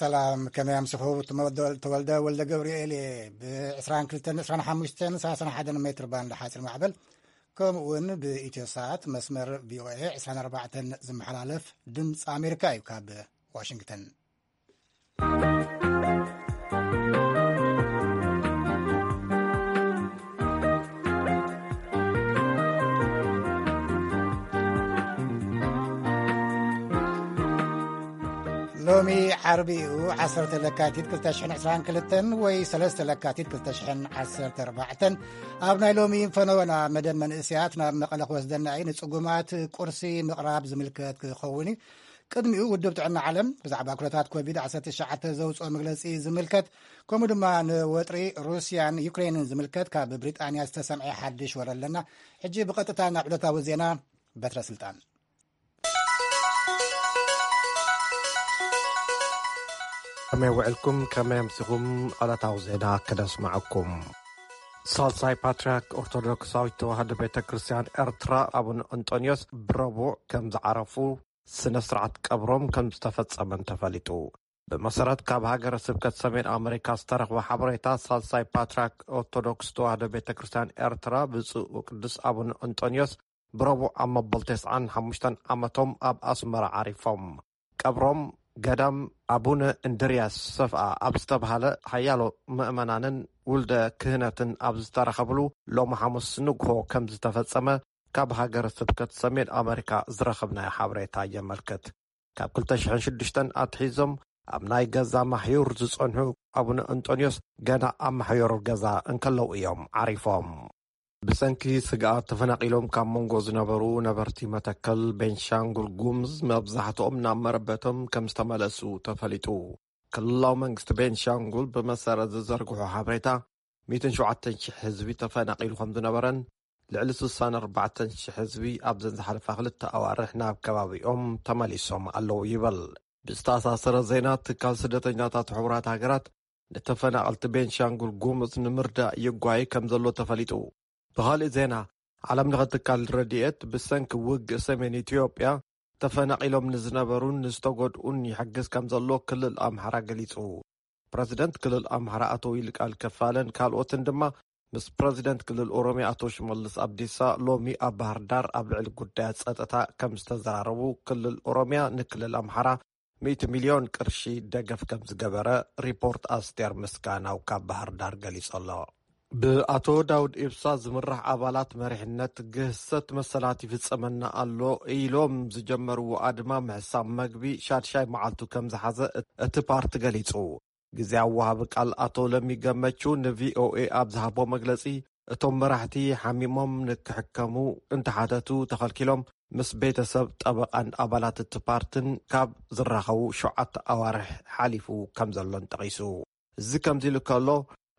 ሰላም፣ ከመይ ኣምስኹ? ተወልደ ወልደ ገብርኤል እየ። ብ22፣ 25፣ 31 ሜትር ባንድ ሓፂር ማዕበል፣ ከምኡ እውን ብኢትዮ ሰዓት መስመር ቪኦኤ 24 ዝመሓላለፍ ድምፂ ኣሜሪካ እዩ። ካብ ዋሽንግተን። ሎሚ ዓርቢ እዩ፣ 10 ለካቲት 2022 ወይ 3 ለካቲት 2014። ኣብ ናይ ሎሚ ፈነወና መደብ መንእስያት ናብ መቐለ ክወስደና እዩ። ንጽጉማት ቁርሲ ምቕራብ ዝምልከት ክኸውን እዩ። ቅድሚኡ ውድብ ጥዕና ዓለም ብዛዕባ ኩነታት ኮቪድ-19 ዘውፅኦ መግለፂ ዝምልከት፣ ከምኡ ድማ ንወጥሪ ሩስያን ዩክሬንን ዝምልከት ካብ ብሪጣንያ ዝተሰምዐ ሓድሽ ወረ ኣለና። ሕጂ ብቐጥታ ናብ ዕለታዊ ዜና። በትረ ስልጣን። ከመይ ውዕልኩም? ከመይ ኣምሲኹም? ዕለታዊ ዜና ክነስማዓኩም። ሳልሳይ ፓትርያርክ ኦርቶዶክሳዊት ተዋህዶ ቤተ ክርስቲያን ኤርትራ ኣቡነ እንጦንዮስ ብረቡዕ ከም ዝዓረፉ፣ ስነ ስርዓት ቀብሮም ከም ዝተፈጸመን ተፈሊጡ። ብመሰረት ካብ ሃገረ ስብከት ሰሜን ኣመሪካ ዝተረኽበ ሓበሬታ፣ ሳልሳይ ፓትርያርክ ኦርቶዶክስ ተዋህዶ ቤተ ክርስቲያን ኤርትራ ብፁዕ ወቅዱስ ኣቡነ እንጦንዮስ ብረቡዕ ኣብ መበል 95 ዓመቶም ኣብ ኣስመራ ዓሪፎም። ቀብሮም ገዳም ኣቡነ እንድርያስ ሰፍኣ ኣብ ዝተባህለ ሓያሎ ምእመናንን ውልደ ክህነትን ኣብ ዝተረኸብሉ ሎሚ ሓሙስ ንግሆ ከም ዝተፈጸመ ካብ ሃገረ ስብከት ሰሜን ኣመሪካ ዝረኸብናዮ ሓበሬታ የመልክት። ካብ 2006 ኣትሒዞም ኣብ ናይ ገዛ ማሕዩር ዝጸንሑ ኣቡነ እንጦንዮስ ገና ኣብ ማሕዮር ገዛ እንከለዉ እዮም ዓሪፎም። ብሰንኪ ስግኣት ተፈናቒሎም ካብ መንጎ ዝነበሩ ነበርቲ መተከል ቤንሻንጉል ጉምዝ መብዛሕትኦም ናብ መረበቶም ከም ዝተመለሱ ተፈሊጡ። ክልላዊ መንግስቲ ቤንሻንጉል ብመሰረት ዝዘርግሖ ሓበሬታ፣ 107,000 ህዝቢ ተፈናቒሉ ከም ዝነበረን ልዕሊ 64,000 ህዝቢ ኣብዘን ዝሓለፋ ክልተ ኣዋርሕ ናብ ከባቢኦም ተመሊሶም ኣለዉ ይበል። ብዝተኣሳሰረ ዜና፣ ትካል ስደተኛታት ሕቡራት ሃገራት ንተፈናቐልቲ ቤንሻንጉል ጉሙዝ ንምርዳእ ይጓየ ከም ዘሎ ተፈሊጡ። ብኻልእ ዜና፣ ዓለም ለኸ ትካል ረድኤት ብሰንኪ ውግእ ሰሜን ኢትዮጵያ ተፈናቒሎም ንዝነበሩን ንዝተጎድኡን ይሕግዝ ከም ዘሎ ክልል ኣምሓራ ገሊጹ። ፕረዚደንት ክልል ኣምሓራ ኣቶ ይልቃል ከፋለን ካልኦትን ድማ ምስ ፕረዚደንት ክልል ኦሮሚያ ኣቶ ሽመልስ ኣብዲሳ ሎሚ ኣብ ባህር ዳር ኣብ ልዕሊ ጉዳያት ጸጥታ ከም ዝተዘራረቡ፣ ክልል ኦሮሚያ ንክልል ኣምሓራ 100 ሚልዮን ቅርሺ ደገፍ ከም ዝገበረ ሪፖርት ኣስቴር ምስጋናው ካብ ባህር ዳር ገሊጹ ኣሎ። ብኣቶ ዳውድ ኢብሳ ዝምራሕ ኣባላት መሪሕነት ግህሰት መሰላት ይፍጸመና ኣሎ ኢሎም ዝጀመርዎ ኣድማ ምሕሳብ መግቢ ሻድሻይ መዓልቱ ከም ዝሓዘ እቲ ፓርቲ ገሊጹ። ግዜያዊ ወሃቢ ቃል ኣቶ ለሚ ገመቹ ንቪኦኤ ኣብ ዝሃቦ መግለጺ፣ እቶም መራሕቲ ሓሚሞም ንክሕከሙ እንተሓተቱ ተኸልኪሎም፣ ምስ ቤተሰብ፣ ጠበቓን ኣባላት እቲ ፓርትን ካብ ዝራኸቡ ሸውዓተ ኣዋርሕ ሓሊፉ ከም ዘሎን ጠቒሱ። እዚ ከምዚ ኢሉ ከሎ፣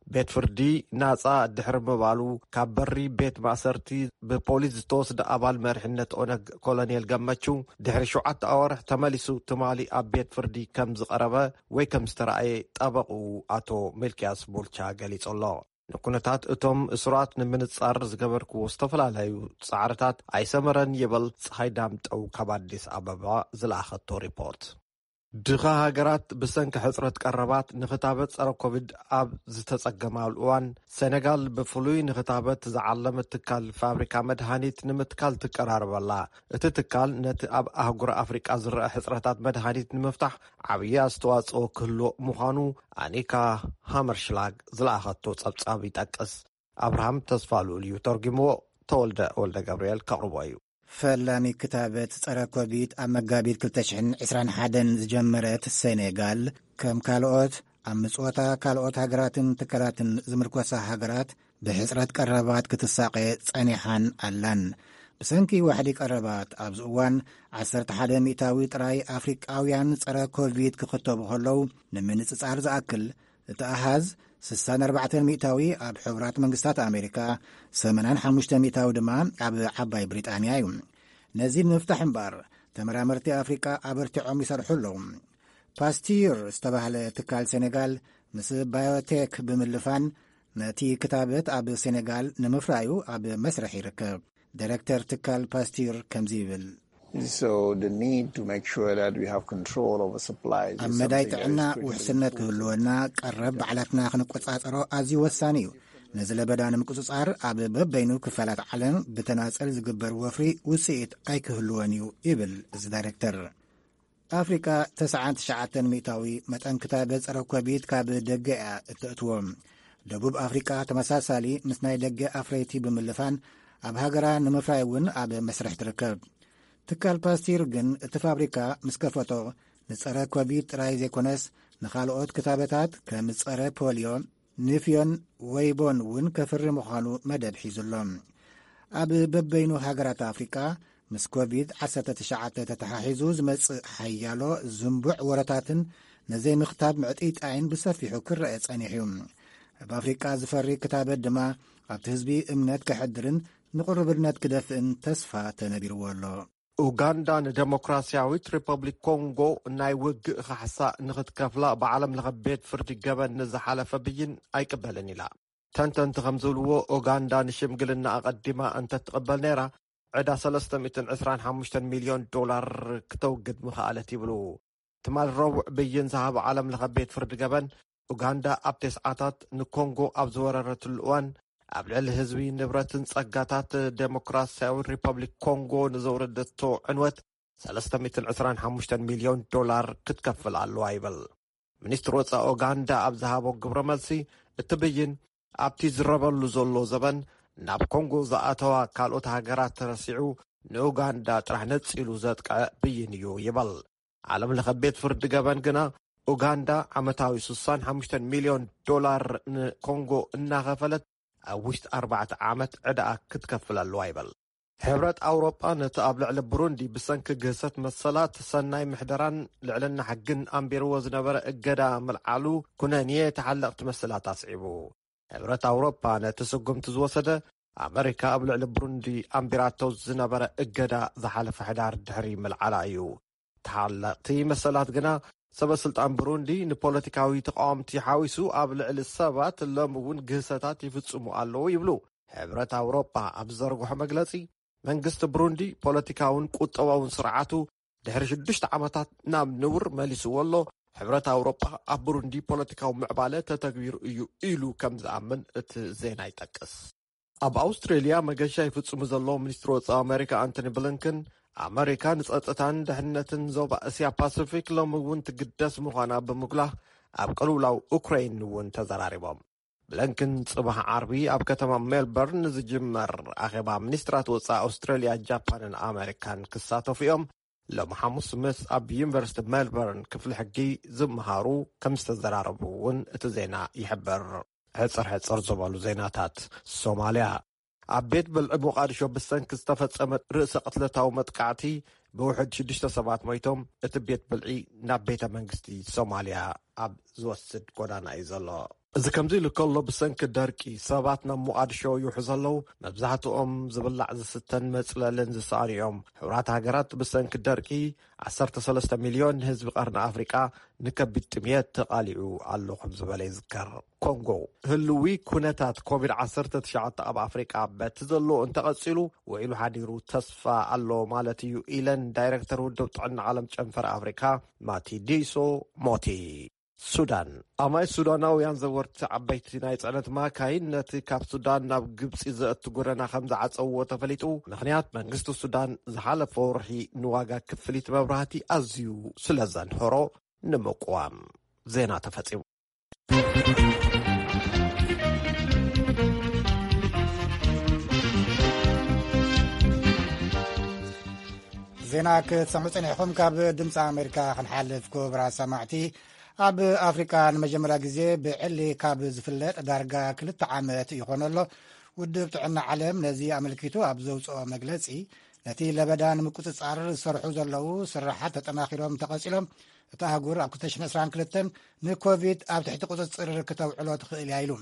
ቤት ፍርዲ ናጻ ድሕሪ ምባሉ፣ ካብ በሪ ቤት ማእሰርቲ ብፖሊስ ዝተወስደ ኣባል መሪሕነት ኦነግ ኮሎኔል ገመቹ ድሕሪ ሸውዓተ ኣዋርሕ ተመሊሱ ትማሊ ኣብ ቤት ፍርዲ ከም ዝቐረበ ወይ ከም ዝተረኣየ ጠበቕኡ ኣቶ ሚልክያስ ቡልቻ ገሊጹ ኣሎ። ንኩነታት እቶም እሱራት ንምንጻር ዝገበርክዎ ዝተፈላለዩ ጻዕርታት ኣይሰመረን ይብል ጸሓይ ዳምጠው ካብ ኣዲስ ኣበባ ዝለኣኸቶ ሪፖርት። ድኻ ሃገራት ብሰንኪ ሕጽረት ቀረባት ንኽታበት ጸረ ኮቪድ ኣብ ዝተጸገማሉ እዋን፣ ሴኔጋል ብፍሉይ ንኽታበት ዝዓለመ ትካል ፋብሪካ መድሃኒት ንምትካል ትቀራረብ ኣላ። እቲ ትካል ነቲ ኣብ ኣህጉር ኣፍሪቃ ዝረአ ሕጽረታት መድሃኒት ንምፍታሕ ዓብዪ ኣስተዋጽኦ ክህልዎ ምዃኑ ኣኒካ ሃመርሽላግ ዝለኣኸቶ ጸብጻብ ይጠቅስ። ኣብርሃም ተስፋ ልኡል እዩ ተርጉምዎ። ተወልደ ወልደ ገብርኤል ከቕርቦ እዩ። ፈላሚ ክታበት ጸረ ኮቪድ ኣብ መጋቢት 2021 ዝጀመረት ሴኔጋል፣ ከም ካልኦት ኣብ ምጽወታ ካልኦት ሃገራትን ትካላትን ዝምርኮሳ ሃገራት፣ ብሕጽረት ቀረባት ክትሳቐ ጸኒሓን ኣላን። ብሰንኪ ዋሕዲ ቀረባት ኣብዚ እዋን 11% ጥራይ ኣፍሪቃውያን ጸረ ኮቪድ ክኽተቡ ከለዉ፣ ንምንጽጻር ዝኣክል፣ እቲ ኣሃዝ 64% ኣብ ሕቡራት መንግስታት ኣሜሪካ፣ 85% ድማ ኣብ ዓባይ ብሪጣንያ እዩ። ነዚ ንምፍታሕ እምበኣር፣ ተመራመርቲ ኣፍሪቃ ኣበርቲዖም ይሰርሑ ኣለዉ። ፓስቲር ዝተባህለ ትካል ሴኔጋል ምስ ባዮቴክ ብምልፋን፣ ነቲ ክታበት ኣብ ሴኔጋል ንምፍራዩ ኣብ መስርሕ ይርከብ። ዳይረክተር ትካል ፓስቲር ከምዚ ይብል። So the need to make sure that we have control over supplies ኣብ is መዳይ something that ጥዕና is critically ውሕስነት important. ክህልወና ቀረብ ባዕላትና ክንቆጻጸሮ ኣዝዩ ወሳኒ እዩ። ነዚ ለበዳ ንምቁጽጻር ኣብ በበይኑ ክፋላት ዓለም ብተናጸል ዝግበር ወፍሪ ውጽኢት ኣይክህልወን እዩ ይብል እዚ ዳይሬክተር። ኣፍሪቃ ተስዓን ትሽዓተን ሚእታዊ መጠን ክታበት ጸረ ኮቪድ ካብ ደገ እያ እተእትዎ። ደቡብ ኣፍሪቃ ተመሳሳሊ ምስ ናይ ደገ ኣፍረይቲ ብምልፋን ኣብ ሃገራ ንምፍራይ እውን ኣብ መስርሕ ትርከብ። ትካል ፓስቲር ግን እቲ ፋብሪካ ምስ ከፈቶ ንጸረ ኮቪድ ጥራይ ዘይኮነስ ንኻልኦት ክታበታት ከም ጸረ ፖልዮ፣ ንፍዮን ወይቦን እውን ከፍሪ ምዃኑ መደብ ሒዙ ኣሎ። ኣብ በበይኑ ሃገራት ኣፍሪቃ ምስ ኮቪድ ዓሰርተ ትሽዓተ ተተሓሒዙ ዝመጽእ ሓያሎ ዝንቡዕ ወረታትን ነዘይምኽታብ ምዕጥይጣይን ብሰፊሑ ክረአ ጸኒሑ እዩ። ኣብ ኣፍሪቃ ዝፈሪ ክታበት ድማ ኣብቲ ህዝቢ እምነት ከሕድርን ንቕሩብነት ክደፍእን ተስፋ ተነቢርዎ ኣሎ። ኡጋንዳ ንደሞክራስያዊት ሪፐብሊክ ኮንጎ ናይ ውግእ ካሕሳ ንኽትከፍላ ብዓለም ለኸ ቤት ፍርዲ ገበን ንዝሓለፈ ብይን ኣይቅበልን ኢላ። ተንተንቲ ከም ዝብልዎ፣ ኡጋንዳ ንሽምግልና ኣቐዲማ እንተትቕበል ነይራ፣ ዕዳ ሰለስተ ሚእትን ዕስራን ሓሙሽተን ሚልዮን ዶላር ክተውግድ ምኽኣለት ይብሉ። ትማል ረቡዕ ብይን ዝሃበ ዓለም ለኸ ቤት ፍርዲ ገበን፣ ኡጋንዳ ኣብ ተስዓታት ንኮንጎ ኣብ ዝወረረትሉ እዋን ኣብ ልዕሊ ህዝቢ፣ ንብረትን ጸጋታት ደሞክራስያዊ ሪፐብሊክ ኮንጎ ንዘውረደቶ ዕንወት ሰለስተ ሚእትን ዕስራን ሓሙሽተን ሚልዮን ዶላር ክትከፍል ኣለዋ ይብል። ሚኒስትሪ ወጻኢ ኡጋንዳ ኣብ ዝሃቦ ግብረ መልሲ፣ እቲ ብይን ኣብቲ ዝረበሉ ዘሎ ዘበን ናብ ኮንጎ ዝኣተዋ ካልኦት ሃገራት ተረሲዑ ንኡጋንዳ ጥራሕ ነጺሉ ዘጥቅዐ ብይን እዩ ይብል። ዓለም ለኸ ቤት ፍርዲ ገበን ግና ኡጋንዳ ዓመታዊ ስሳን ሓሙሽተን ሚልዮን ዶላር ንኮንጎ እናኸፈለት ኣብ ውሽጢ ኣርባዕተ ዓመት ዕዳኣ ክትከፍል ኣለዋ ይብል። ሕብረት ኣውሮጳ ነቲ ኣብ ልዕሊ ብሩንዲ ብሰንኪ ግህሰት መሰላት፣ ሰናይ ምሕደራን ልዕልና ሕግን ኣንቢርዎ ዝነበረ እገዳ ምልዓሉ ኩነንየ ተሓለቕቲ መሰላት ኣስዒቡ። ሕብረት ኣውሮጳ ነቲ ስጉምቲ ዝወሰደ ኣመሪካ ኣብ ልዕሊ ብሩንዲ ኣንቢራቶ ዝነበረ እገዳ ዝሓለፈ ሕዳር ድሕሪ ምልዓላ እዩ። ተሓለቕቲ መሰላት ግና ሰበ ስልጣን ብሩንዲ ንፖለቲካዊ ተቃወምቲ ሓዊሱ ኣብ ልዕሊ ሰባት ሎም እውን ግህሰታት ይፍጽሙ ኣለዉ ይብሉ። ሕብረት ኣውሮጳ ኣብ ዘርግሖ መግለጺ፣ መንግስቲ ብሩንዲ ፖለቲካውን ቁጠባውን ስርዓቱ ድሕሪ ሽዱሽተ ዓመታት ናብ ንቡር መሊስዎ ኣሎ። ሕብረት ኣውሮጳ ኣብ ብሩንዲ ፖለቲካዊ ምዕባለ ተተግቢሩ እዩ ኢሉ ከም ዝኣምን እቲ ዜና ይጠቅስ። ኣብ ኣውስትሬልያ መገሻ ይፍጽሙ ዘለዉ ሚኒስትሪ ወጻኢ ኣመሪካ ኣንቶኒ ብሊንከን፣ ኣመሪካ ንጸጥታን ድሕነትን ዞባ እስያ ፓሲፊክ ሎም እውን ትግደስ ምዃና ብምጉላህ፣ ኣብ ቅልውላው ኡክራይን እውን ተዘራሪቦም። ብሊንከን ጽባሕ ዓርቢ ኣብ ከተማ ሜልበርን ዝጅመር ኣኼባ ሚኒስትራት ወጻኢ ኣውስትሬልያ፣ ጃፓንን ኣመሪካን ክሳተፉ እዮም። ሎም ሓሙስ ምስ ኣብ ዩኒቨርሲቲ ሜልበርን ክፍሊ ሕጊ ዝመሃሩ ከም ዝተዘራረቡ እውን እቲ ዜና ይሕብር። ሕጽር ሕጽር ዝበሉ ዜናታት። ሶማልያ። ኣብ ቤት ብልዒ ሞቓድሾ ብሰንኪ ዝተፈጸመ ርእሰ ቅትለታዊ መጥቃዕቲ ብውሕድ ሽዱሽተ ሰባት ሞይቶም፣ እቲ ቤት ብልዒ ናብ ቤተ መንግስቲ ሶማልያ ኣብ ዝወስድ ጎዳና እዩ ዘሎ። እዚ ከምዚ ኢሉ ከሎ፣ ብሰንኪ ደርቂ ሰባት ናብ ሞቓድሾ ይውሑ ዘለዉ፣ መብዛሕትኦም ዝብላዕ ዝስተን መጽለልን ዝሰኣኑ እዮም። ሕቡራት ሃገራት ብሰንኪ ደርቂ ዓሰርተ ሰለስተ ሚልዮን ህዝቢ ቀርኒ ኣፍሪቃ ንከቢድ ጥምየት ተቓሊዑ ኣሎ ከም ዝበለ ይዝከር። ኮንጎ። ህልዊ ኩነታት ኮቪድ ዓሰርተ ትሽዓተ ኣብ ኣፍሪቃ በቲ ዘሎ እንተቐጺሉ፣ ውዒሉ ሓዲሩ ተስፋ ኣሎ ማለት እዩ ኢለን ዳይሬክተር ውድብ ጥዕና ዓለም ጨንፈር ኣፍሪቃ ማቲዲሶ ሞቲ። ሱዳን። ኣማይ ሱዳናውያን ዘወርቲ ዓበይቲ ናይ ጽዕነት ማካይን ነቲ ካብ ሱዳን ናብ ግብጺ ዘእቱ ጎደና ከም ዝዓጸውዎ ተፈሊጡ። ምኽንያት፣ መንግስቲ ሱዳን ዝሓለፈ ወርሒ ንዋጋ ክፍሊት መብራህቲ ኣዝዩ ስለ ዘንህሮ ንምቅዋም። ዜና ተፈጺሙ። ዜና ክትሰምዑ ጸኒሕኩም። ካብ ድምፂ ኣሜሪካ ክንሓልፍ፣ ክቡራት ሰማዕቲ። ኣብ ኣፍሪቃ ንመጀመርያ ግዜ ብዕሊ ካብ ዝፍለጥ ዳርጋ ክልተ ዓመት ይኾኖ ኣሎ። ውድብ ጥዕና ዓለም ነዚ ኣመልኪቱ ኣብ ዘውፅኦ መግለፂ፣ ነቲ ለበዳ ንምቁፅፃር ዝሰርሑ ዘለዉ ስራሓት ተጠናኺሮም ተቐፂሎም፣ እታ ኣህጉር ኣብ ክልተ ሽሕን ዕስራን ክልተን ንኮቪድ ኣብ ትሕቲ ቁፅፅር ክተውዕሎ ትኽእል እያ ኢሉ።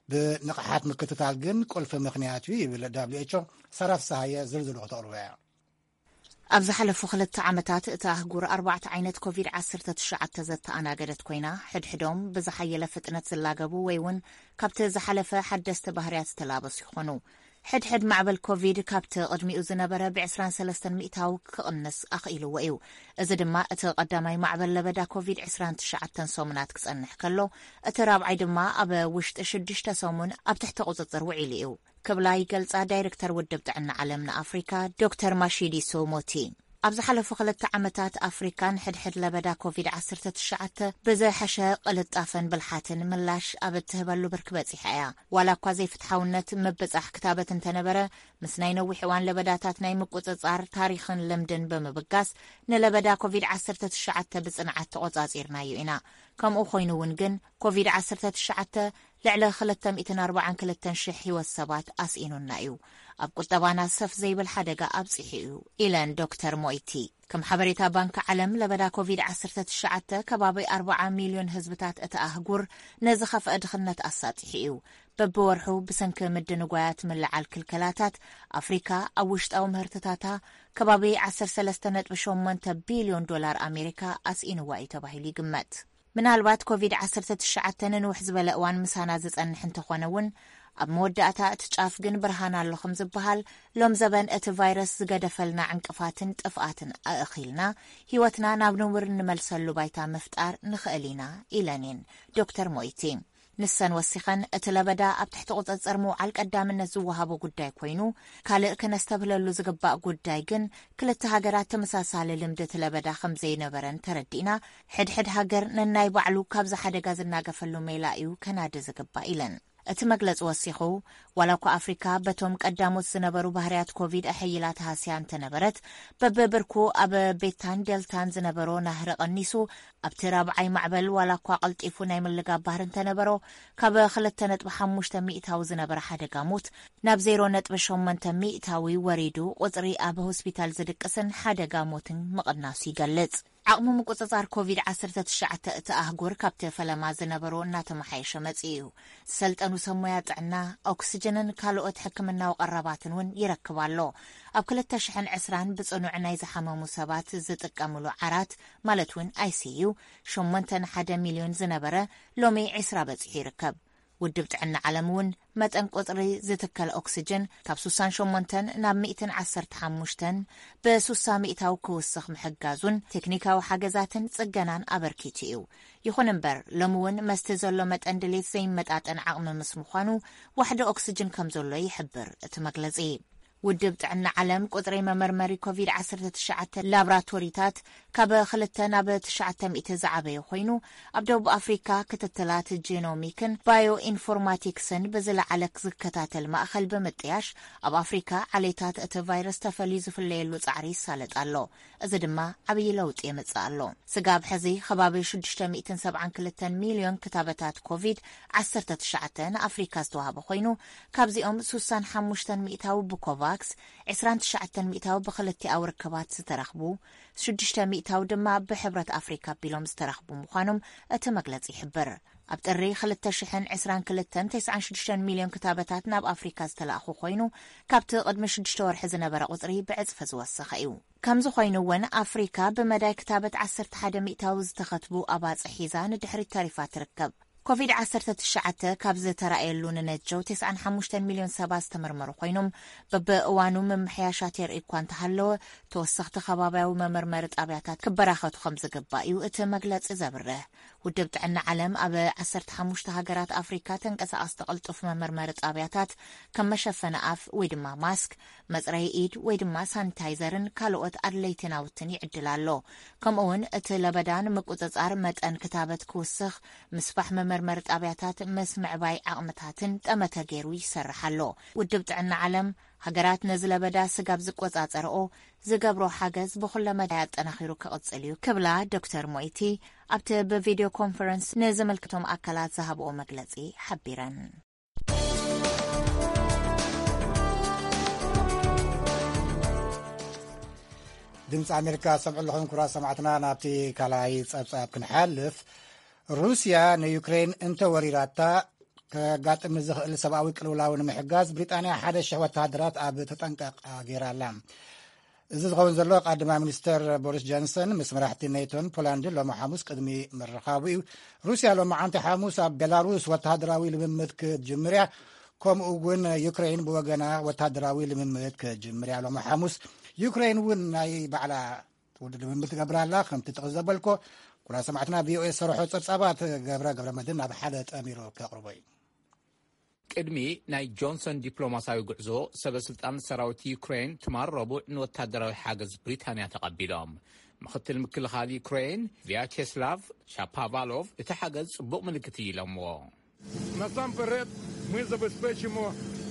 ብንቕሓት ምክትታል ግን ቁልፊ ምኽንያት እዩ ይብል ደብሊው ኤች ኦ። ሳራ ፍስሃየ ዝርዝሩ ክተቕርቦ እያ። ኣብ ዝሓለፉ ክልተ ዓመታት እታ ኣህጉር ኣርባዕተ ዓይነት ኮቪድ ዓሰርተ ትሽዓተ ዘተኣናገደት ኮይና፣ ሕድሕዶም ብዝሓየለ ፍጥነት ዝላገቡ ወይ እውን ካብቲ ዝሓለፈ ሓደስቲ ባህርያት ዝተላበሱ ይኾኑ። ሕድሕድ ማዕበል ኮቪድ ካብቲ ቅድሚኡ ዝነበረ ብ23 ሚእታዊ ክቕንስ ኣኽኢልዎ እዩ። እዚ ድማ እቲ ቀዳማይ ማዕበል ለበዳ ኮቪድ 29 ሰሙናት ክጸንሕ ከሎ፣ እቲ ራብዓይ ድማ ኣብ ውሽጢ ሽዱሽተ ሰሙን ኣብ ትሕቲ ቁጽጽር ውዒሉ እዩ ክብላ ይገልጻ ዳይሬክተር ውድብ ጥዕና ዓለም ንኣፍሪካ ዶክተር ማሺዲሶ ሞቲ። ኣብ ዝሓለፉ ክልተ ዓመታት ኣፍሪካ ንሕድሕድ ለበዳ ኮቪድ-19 ብዝሐሸ ቅልጣፈን ብልሓትን ምላሽ ኣብ እትህበሉ ብርኪ በጺሓ እያ። ዋላ እኳ ዘይፍትሓውነት ምብጻሕ ክታበት እንተነበረ፣ ምስ ናይ ነዊሕ እዋን ለበዳታት ናይ ምቁጽጻር ታሪኽን ልምድን ብምብጋስ ንለበዳ ኮቪድ-19 ብጽንዓት ተቆጻጺርናዮ ኢና። ከምኡ ኮይኑ እውን ግን ኮቪድ-19 ልዕሊ 242,000 ህይወት ሰባት ኣስኢኑና እዩ። ኣብ ቁጠባና ሰፍ ዘይብል ሓደጋ ኣብጺሑ እዩ ኢለን ዶክተር ሞይቲ። ከም ሓበሬታ ባንክ ዓለም ለበዳ ኮቪድ-19 ከባቢ 40 ሚልዮን ህዝብታት እቲ ኣህጉር ነዝኸፍአ ድኽነት ኣሳጢሑ እዩ። በብወርሑ ብሰንኪ ምድንጓያት ምልዓል ክልከላታት ኣፍሪካ ኣብ ውሽጣዊ ምህርትታታ ከባቢ 13.8 ቢልዮን ዶላር ኣሜሪካ ኣስኢንዋ እዩ ተባሂሉ ይግመት። ምናልባት ኮቪድ-19 ንንውሕ ዝበለ እዋን ምሳና ዝጸንሕ እንተኾነ እውን ኣብ መወዳእታ እቲ ጫፍ ግን ብርሃን ኣሎ ከም ዝበሃል ሎም ዘበን እቲ ቫይረስ ዝገደፈልና ዕንቅፋትን ጥፍኣትን ኣእኺልና ህይወትና ናብ ንቡር እንመልሰሉ ባይታ ምፍጣር ንኽእል ኢና ኢለን እየን ዶክተር ሞይቲ። ንሰን ወሲኸን እቲ ለበዳ ኣብ ትሕቲ ቁጽጽር ምውዓል ቀዳምነት ዝወሃቦ ጉዳይ ኮይኑ፣ ካልእ ክነስተብህለሉ ዝግባእ ጉዳይ ግን ክልተ ሃገራት ተመሳሳሊ ልምዲ እቲ ለበዳ ከም ዘይነበረን ተረዲእና፣ ሕድሕድ ሃገር ነናይ ባዕሉ ካብዚ ሓደጋ ዝናገፈሉ ሜላ እዩ ከናዲ ዝግባእ ኢለን። እቲ መግለጺ ወሲኹ፣ ዋላ እኳ ኣፍሪካ በቶም ቀዳሞት ዝነበሩ ባህርያት ኮቪድ ኣሐይላ ተሃስያ እንተነበረት፣ በብብርኩ ኣብ ቤታን ዴልታን ዝነበሮ ናህሪ ቀኒሱ፣ ኣብቲ ራብዓይ ማዕበል ዋላ እኳ ቀልጢፉ ናይ ምልጋብ ባህሪ እንተነበሮ፣ ካብ 2.5 ሚእታዊ ዝነበረ ሓደጋ ሞት ናብ 0.8 ሚእታዊ ወሪዱ፣ ቁጽሪ ኣብ ሆስፒታል ዝድቅስን ሓደጋ ሞትን ምቕናሱ ይገልጽ። ዓቕሚ ምቁጽጻር ኮቪድ-19 እቲ ኣህጉር ካብቲ ፈለማ ዝነበሮ እናተመሓየሸ መጺኡ እዩ። ዝሰልጠኑ ሰብ ሞያ ጥዕና፣ ኦክስጅንን ካልኦት ሕክምናዊ ቀረባትን እውን ይረክብ ኣሎ። ኣብ 2020 ብጽኑዕ ናይ ዝሓመሙ ሰባት ዝጥቀምሉ ዓራት፣ ማለት እውን ኣይሲዩ፣ ሸሞንተ ንሓደ ሚልዮን ዝነበረ ሎሚ 20 በጺሑ ይርከብ። ውድብ ጥዕና ዓለም እውን መጠን ቁጽሪ ዝትከል ኦክስጅን ካብ 68 ናብ 115 ብ60 ሚእታዊ ክውስኽ ምሕጋዙን ቴክኒካዊ ሓገዛትን ጽገናን ኣበርኪቱ እዩ። ይኹን እምበር፣ ሎሚ እውን መስቲ ዘሎ መጠን ድሌት ዘይመጣጠን ዓቕሚ ምስ ምዃኑ፣ ዋሕዲ ኦክስጅን ከም ዘሎ ይሕብር እቲ መግለጺ። ውድብ ጥዕና ዓለም ቁጽሪ መመርመሪ ኮቪድ-19 ላብራቶሪታት ካብ ክልተ ናብ ትሽዓተ ሚእቲ ዝዓበየ ኮይኑ፣ ኣብ ደቡብ ኣፍሪካ ክትትላት ጂኖሚክን ባዮ ኢንፎርማቲክስን ብዝለዓለ ዝከታተል ማእኸል ብምጥያሽ፣ ኣብ ኣፍሪካ ዓሌታት እቲ ቫይረስ ተፈልዩ ዝፍለየሉ ጻዕሪ ይሳለጥ ኣሎ። እዚ ድማ ዓብዪ ለውጢ የምጽእ ኣሎ። ስጋብ ሕዚ ከባቢ 672 ሚልዮን ክታበታት ኮቪድ-19 ንኣፍሪካ ዝተዋህበ ኮይኑ፣ ካብዚኦም 65 ሚእታዊ ብኮቫክስ፣ 29 ሚእታዊ ብክልቲኣዊ ርክባት ዝተረኽቡ፣ 6 ሚእታዊ ድማ ብሕብረት ኣፍሪካ ኣቢሎም ዝተረኽቡ ምዃኖም እቲ መግለጺ ይሕብር። ኣብ ጥሪ 2022፣ 96 ሚልዮን ክታበታት ናብ ኣፍሪካ ዝተላእኹ ኮይኑ፣ ካብቲ ቅድሚ ሽዱሽተ ወርሒ ዝነበረ ቁጽሪ ብዕጽፊ ዝወሰኸ እዩ። ከምዚ ኮይኑ እውን ኣፍሪካ ብመዳይ ክታበት 11 ሚእታዊ ዝተኸትቡ ኣባጽሕ ሒዛ ንድሕሪት ተሪፋ ትርከብ። ኮቪድ-19 ካብ ዝተራእየሉ ንነጀው 95 ሚልዮን ሰባት ዝተመርመሩ ኮይኖም፣ በብእዋኑ ምምሕያሻት የርኢ እኳ እንተሃለወ፣ ተወሰኽቲ ከባቢያዊ መመርመሪ ጣብያታት ክበራኸቱ ከም ዝግባእ እዩ እቲ መግለጺ ዘብርህ። ውድብ ጥዕና ዓለም ኣብ 15 ሃገራት ኣፍሪካ ተንቀሳቐስቲ ቅልጡፍ መመርመሪ ጣብያታት ከም መሸፈኒ ኣፍ ወይ ድማ ማስክ፣ መጽረዪ ኢድ ወይ ድማ ሳኒታይዘርን ካልኦት ኣድለይቲ ናውትን ይዕድል ኣሎ። ከምኡ እውን እቲ ለበዳ ንምቁጽጻር መጠን ክታበት ክውስኽ፣ ምስፋሕ መመርመሪ ጣብያታት ምስ ምዕባይ ዓቕምታትን ጠመተ ገይሩ ይሰርሕ ኣሎ። ውድብ ጥዕና ዓለም ሃገራት ነዚ ለበዳ ስጋብ ዝቆጻጸርኦ ዝገብሮ ሓገዝ ብኹለ መዳይ ኣጠናኺሩ ክቕጽል እዩ ክብላ ዶክተር ሞይቲ ኣብቲ ብቪድዮ ኮንፈረንስ ንዝምልከቶም ኣካላት ዝሃብኦ መግለጺ ሓቢረን። ድምፂ ኣሜሪካ ሰምዑ ኣለኹም ክቡራት ሰማዕትና። ናብቲ ካልኣይ ፀብፃብ ክንሓልፍ፣ ሩስያ ንዩክሬን እንተወሪራታ ከጋጥም ንዝኽእል ሰብኣዊ ቅልውላው ንምሕጋዝ ብሪጣንያ ሓደ ሽሕ ወተሃደራት ኣብ ተጠንቀቕ ገይራ ኣላ። እዚ ዝኸውን ዘሎ ቀዳማይ ሚኒስተር ቦሪስ ጆንሰን ምስ መራሕቲ ኔቶን ፖላንድን ሎሚ ሓሙስ ቅድሚ ምርኻቡ እዩ። ሩስያ ሎሚ ዓንቲ ሓሙስ ኣብ ቤላሩስ ወተሃደራዊ ልምምድ ክትጅምር እያ። ከምኡ እውን ዩክሬን ብወገና ወታደራዊ ልምምድ ክጅምር እያ። ሎሚ ሓሙስ ዩክሬን እውን ናይ ባዕላ ውድድር ልምምድ ትገብር ኣላ። ከምቲ ጥቕስ ዘበልኮ፣ ኩራ ሰማዕትና ቪኦኤ ዝሰርሖ ጸብጻባት ገብረ ገብረ መድህን ናብ ሓደ ጠሚሩ ከቕርቦ እዩ። ቅድሚ ናይ ጆንሰን ዲፕሎማሲያዊ ጉዕዞ፣ ሰበ ስልጣን ሰራዊት ዩክሬን ትማል ረቡዕ ንወታደራዊ ሓገዝ ብሪታንያ ተቐቢሎም። ምኽትል ምክልኻል ዩክሬን ቪያቸስላቭ ሻፓቫሎቭ፣ እቲ ሓገዝ ጽቡቕ ምልክት እዩ ኢሎምዎ። Насамперед, ми забезпечимо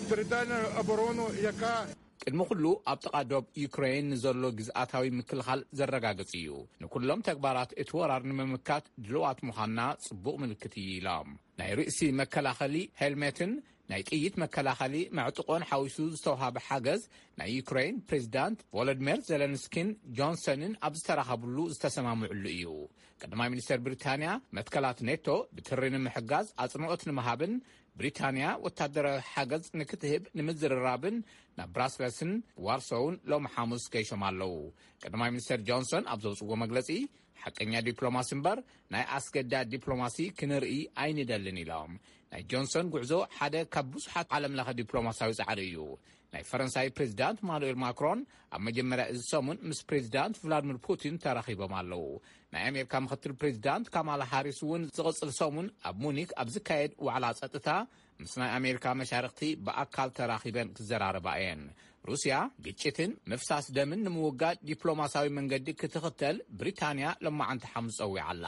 територіальну оборону, яка ቅድሚ ኩሉ ኣብ ጥቓ ዶብ ዩክሬን ንዘሎ ግዝኣታዊ ምክልኻል ዘረጋግጽ እዩ። ንኩሎም ተግባራት እቲ ወራር ንምምካት ድልዋት ምዃንና ጽቡቕ ምልክት እዩ ኢሎም። ናይ ርእሲ መከላኸሊ ሄልሜትን ናይ ጥይት መከላኸሊ መዕጥቆን ሓዊሱ ዝተውሃበ ሓገዝ ናይ ዩክሬን ፕሬዚዳንት ቮሎዲሚር ዜለንስኪን ጆንሰንን ኣብ ዝተራኸብሉ ዝተሰማምዕሉ እዩ። ቀዳማይ ሚኒስተር ብሪታንያ መትከላት ኔቶ ብትሪ ንምሕጋዝ ኣጽንኦት ንምሃብን ብሪታንያ ወታደራዊ ሓገዝ ንክትህብ ንምዝርራብን ናብ ብራስለስን ዋርሶውን ሎሚ ሓሙስ ገይሾም ኣለዉ። ቀዳማይ ሚኒስተር ጆንሰን ኣብ ዘውፅዎ መግለፂ፣ ሓቀኛ ዲፕሎማሲ እምበር ናይ ኣስገዳድ ዲፕሎማሲ ክንርኢ ኣይንደልን ኢሎም። ናይ ጆንሰን ጉዕዞ ሓደ ካብ ብዙሓት ዓለም ለኸ ዲፕሎማሲያዊ ፃዕሪ እዩ። ናይ ፈረንሳይ ፕሬዚዳንት ማኑኤል ማክሮን ኣብ መጀመርያ እዚ ሰሙን ምስ ፕሬዚዳንት ቭላድሚር ፑቲን ተራኺቦም ኣለዉ። ናይ ኣሜሪካ ምክትል ፕሬዚዳንት ካማላ ሃሪስ እውን ዝቕፅል ሰሙን ኣብ ሙኒክ ኣብ ዝካየድ ዋዕላ ፀጥታ ምስ ናይ ኣሜሪካ መሻርክቲ ብኣካል ተራኺበን ክዘራረባ እየን። ሩስያ ግጭትን ምፍሳስ ደምን ንምውጋድ ዲፕሎማሲያዊ መንገዲ ክትኽተል ብሪታንያ ሎማዓንቲ ሓሙስ ጸዊዓ ኣላ።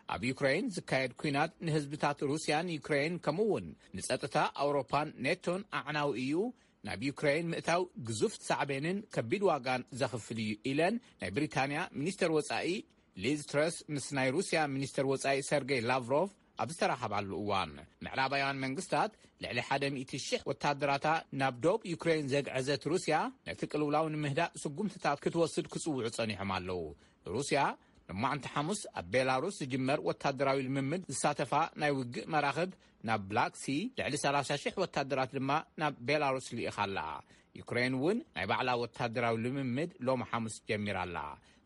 ኣብ ዩክሬን ዝካየድ ኲናት ንህዝብታት ሩስያን ዩክሬን ከምኡ እውን ንጸጥታ ኣውሮፓን ኔቶን ኣዕናዊ እዩ። ናብ ዩክሬን ምእታው ግዙፍ ሳዕቤንን ከቢድ ዋጋን ዘኽፍል እዩ ኢለን ናይ ብሪታንያ ሚኒስተር ወጻኢ ሊዝ ትረስ ምስ ናይ ሩስያ ሚኒስተር ወጻኢ ሰርጌይ ላቭሮቭ ኣብ ዝተራኸባሉ እዋን። ምዕራባውያን መንግስታት ልዕሊ ሓደ ሚእቲ ሽሕ ወታደራታ ናብ ዶብ ዩክሬን ዘግዐዘት ሩስያ ነቲ ቅልውላው ንምህዳእ ስጉምትታት ክትወስድ ክጽውዑ ጸኒሖም ኣለዉ። ሩስያ ንማዕንቲ ሓሙስ ኣብ ቤላሩስ ዝጅመር ወታደራዊ ልምምድ ዝሳተፋ ናይ ውግእ መራኽብ ናብ ብላክ ሲ፣ ልዕሊ ሰላሳ ሽሕ ወታደራት ድማ ናብ ቤላሩስ ልኢኻ ኣላ። ዩክሬን እውን ናይ ባዕላ ወታደራዊ ልምምድ ሎሚ ሓሙስ ጀሚራ ኣላ።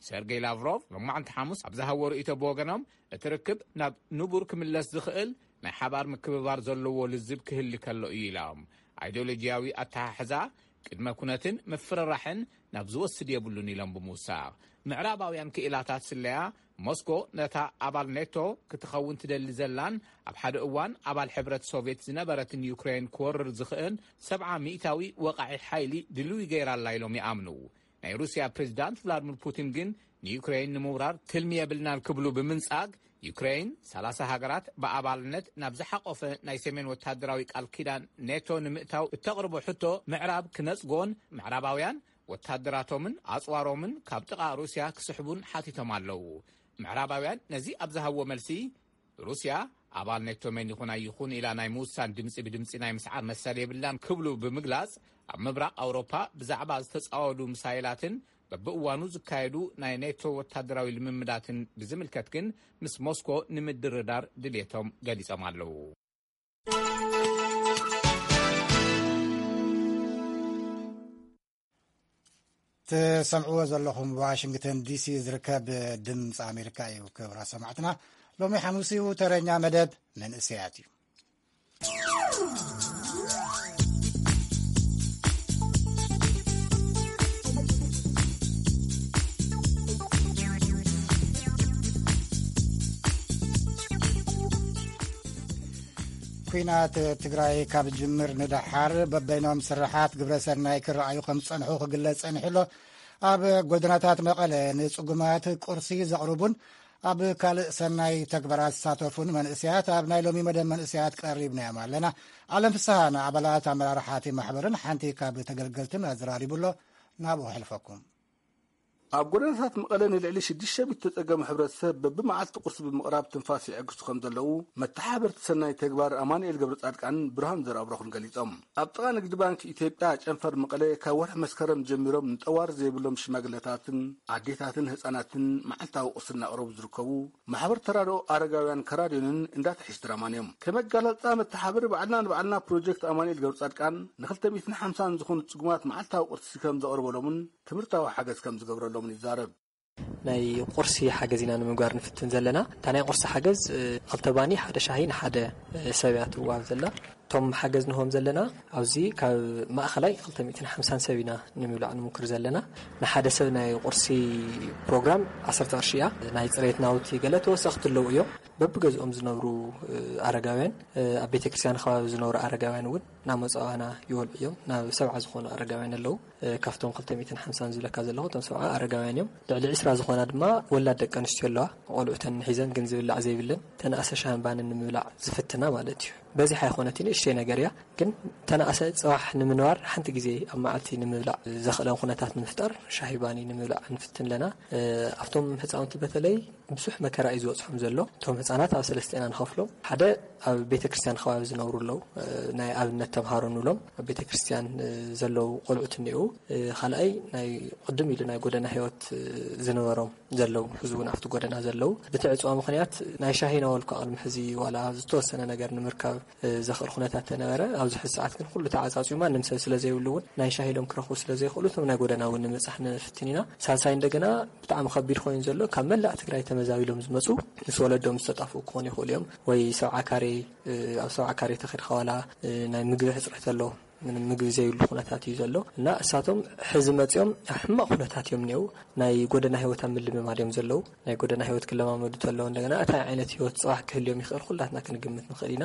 ሰርጌይ ላቭሮቭ ሎማዕንቲ ሓሙስ ኣብ ዝሃቦ ርእይቶ ብወገኖም፣ እቲ ርክብ ናብ ንቡር ክምለስ ዝኽእል ናይ ሓባር ምክብባር ዘለዎ ልዝብ ክህሊ ከሎ እዩ ኢሎም። ኣይዲዮሎጂያዊ ኣተሓሕዛ ቅድመ ኩነትን ምፍርራሕን ናብ ዝወስድ የብሉን ኢሎም ብምውሳኽ፣ ምዕራባውያን ክኢላታት ስለያ ሞስኮ ነታ ኣባል ኔቶ ክትኸውን ትደሊ ዘላን ኣብ ሓደ እዋን ኣባል ሕብረት ሶቭየት ዝነበረትን ዩክሬን ክወርር ዝኽእል ሰብዓ ሚእታዊ ወቓዒ ሓይሊ ድልዊ ገይራ ኣላ ኢሎም ይኣምኑ። ናይ ሩስያ ፕሬዚዳንት ቭላድሚር ፑቲን ግን ንዩክሬን ንምውራር ትልሚ የብልናን ክብሉ ብምንጻግ፣ ዩክሬን ሰላሳ ሃገራት ብኣባልነት ናብ ዝሓቆፈ ናይ ሰሜን ወታደራዊ ቃል ኪዳን ኔቶ ንምእታው እተቕርቦ ሕቶ ምዕራብ ክነጽጎን ምዕራባውያን ወታደራቶምን ኣጽዋሮምን ካብ ጥቓ ሩስያ ክስሕቡን ሓቲቶም ኣለዉ። ምዕራባውያን ነዚ ኣብ ዝሃብዎ መልሲ፣ ሩስያ ኣባል ኔቶ መን ይኹን ኣይኹን ኢላ ናይ ምውሳን ድምጺ ብድምጺ ናይ ምስዓር መሰል የብላን ክብሉ ብምግላጽ፣ ኣብ ምብራቕ ኣውሮፓ ብዛዕባ ዝተጻወዱ ምሳይላትን በብእዋኑ ዝካየዱ ናይ ኔቶ ወታደራዊ ልምምዳትን ብዝምልከት ግን ምስ ሞስኮ ንምድርዳር ድልየቶም ገሊጾም ኣለዉ። ትሰምዕዎ ዘለኹም ዋሽንግተን ዲሲ ዝርከብ ድምፂ ኣሜሪካ እዩ። ክብራ ሰማዕትና፣ ሎሚ ሓሙስ እዩ። ተረኛ መደብ መንእሰያት እዩ። ኲናት ትግራይ ካብ ዝጅምር ንደሓር በበይኖም ስርሓት ግብረ ሰናይ ክረኣዩ ከም ዝጸንሑ ክግለጽ ጸኒሑ ኣሎ። ኣብ ጎደናታት መቐለ ንጽጉማት ቁርሲ ዘቕርቡን ኣብ ካልእ ሰናይ ተግባራት ዝሳተፉን መንእሰያት ኣብ ናይ ሎሚ መደብ መንእሰያት ቀሪብናዮም ኣለና። ዓለም ፍስሃ ንኣባላት ኣመራርሓ እቲ ማሕበርን ሓንቲ ካብ ተገልገልትን ኣዘራሪቡ ኣሎ። ናብኡ ከሕልፈኩም። ኣብ ጎደናታት መቐለ ንልዕሊ ሽዱሽተ ሚእቲ ተጸገሙ ሕብረተሰብ በብመዓልቲ ቁርሲ ብምቕራብ ትንፋስ ይዕግሱ ከም ዘለዉ መተሓባበርቲ ሰናይ ተግባር ኣማኑኤል ገብረጻድቃንን ብርሃኑ ዘርኣብሩኽን ገሊጾም። ኣብ ጥቓ ንግዲ ባንክ ኢትዮጵያ ጨንፈር መቐለ ካብ ወርሒ መስከረም ጀሚሮም ንጠዋሪ ዘይብሎም ሽማግለታትን ኣዴታትን ህጻናትን መዓልታዊ ቁርሲ እናቕረቡ ዝርከቡ ማሕበር ተራድኦ ኣረጋውያን ከራድዮንን እንዳትሒሽ ድራማን እዮም። ከም ኣገላልጻ መተሓባበሪ ባዕልና ንባዕልና ፕሮጀክት ኣማኑኤል ገብረጻድቃን ንክልተ ሚእትን ሓምሳን ዝኾኑ ጽጉማት መዓልታዊ ቁርሲ ከም ዘቕርበሎምን ትምህርታዊ ሓገዝ ከም ዝገብረሎምን ይዛረብ። ናይ ቁርሲ ሓገዝ ኢና ንምግባር ንፍትን ዘለና። እታ ናይ ቁርሲ ሓገዝ፣ እ፣ ክልተ ባኒ፣ ሓደ ሻሂ ንሓደ፣ እ፣ ሰብ እያ ትወሃብ ዘላ። እቶም ሓገዝ ንህቦም ዘለና ኣብዚ ካብ ማእኸላይ ክልተ ሚእትን ሓምሳን ሰብ ኢና ንምብላዕ ንምክር ዘለና። ንሓደ ሰብ ናይ ቁርሲ ፕሮግራም ዓሰርተ ቅርሺ እያ። ናይ ፅሬት ናውቲ ገለ ተወሰኽቲ ኣለዉ እዮም። በብገዝኦም ዝነብሩ ኣረጋውያን፣ ኣብ ቤተክርስትያን ከባቢ ዝነብሩ ኣረጋውያን እውን እናመፁ ኣባና ይበልዑ እዮም። ናብ ሰብዓ ዝኾኑ ኣረጋውያን ኣለዉ። ካብቶም ክልተ ሚእትን ሓምሳን ዝብለካ ዘለኹ እቶም ሰብዓ ኣረጋውያን እዮም። ልዕሊ ዕስራ ዝኾና ድማ ወላድ ደቂ ኣንስትዮ ኣለዋ። ቆልዑተን ሒዘን ግን ዝብላዕ ዘይብለን ተነኣሰ ሻህን ባንን ንምብላዕ ዝፍትና ማለት እዩ። በዚሕ ኣይኮነትን፣ ንእሽተይ ነገር እያ። ግን ተነኣሰ ጽባሕ ንምንባር ሓንቲ ግዜ ኣብ መዓልቲ ንምብላዕ ዘኽእለን ኩነታት ንምፍጣር ሻሂ ባኒ ንምብላዕ ንፍትን ኣለና። ኣብቶም ህፃውንቲ በተለይ ብዙሕ መከራ እዩ ዝበፅሖም ዘሎ። እቶም ህፃናት ኣብ ሰለስተ ኢና ንኸፍሎም። ሓደ ኣብ ቤተ ክርስቲያን ከባቢ ዝነብሩ ኣለዉ። ናይ ኣብነት ተምሃሮ ንብሎም ኣብ ቤተ ክርስቲያን ዘለዉ ቆልዑት እኒኡ። ካልኣይ ናይ ቅድም ኢሉ ናይ ጎደና ህይወት ዝነበሮም ዘለዉ፣ ሕዚ እውን ኣብቲ ጎደና ዘለዉ፣ ብቲ ዕፅዋ ምኽንያት ናይ ሻሂ ናበልኩ ቅድሚ ሕዚ ዋላ ዝተወሰነ ነገር ንምርካብ ዘኽእል ኩነታት ተነበረ። ኣብዚ ሕዚ ሰዓት ግን ኩሉ ተዓፃፂዩ ማንም ሰብ ስለ ዘይብሉ እውን ናይ ሻሂ ኢሎም ክረኽቡ ስለ ዘይኽእሉ እቶም ናይ ጎደና እውን ንምብፃሕ ንፍትን ኢና። ሳልሳይ እንደገና ብጣዕሚ ከቢድ ኮይኑ ዘሎ ካብ መላእ ትግራይ ተመዛቢሎም ዝመፁ ምስ ወለዶም ዝተጣፍኡ ክኾኑ ይኽእሉ እዮም። ወይ ሰብዓ ካሬ፣ ኣብ ሰብዓ ካሬ ተኺድካ ዋላ ናይ ምግቢ ሕፅረት ኣሎ። ምንም ምግቢ ዘይብሉ ኩነታት እዩ ዘሎ እና እሳቶም ሕዚ መፂኦም ኣብ ሕማቕ ኩነታት እዮም እኒአው። ናይ ጎደና ህይወት ኣብ ምልምማድ እዮም ዘለዉ። ናይ ጎደና ህይወት ክለማመዱ ተለዉ እንደገና እንታይ ዓይነት ህይወት ፅባሕ ክህልዮም ይኽእል ኩላትና ክንግምት ንኽእል ኢና።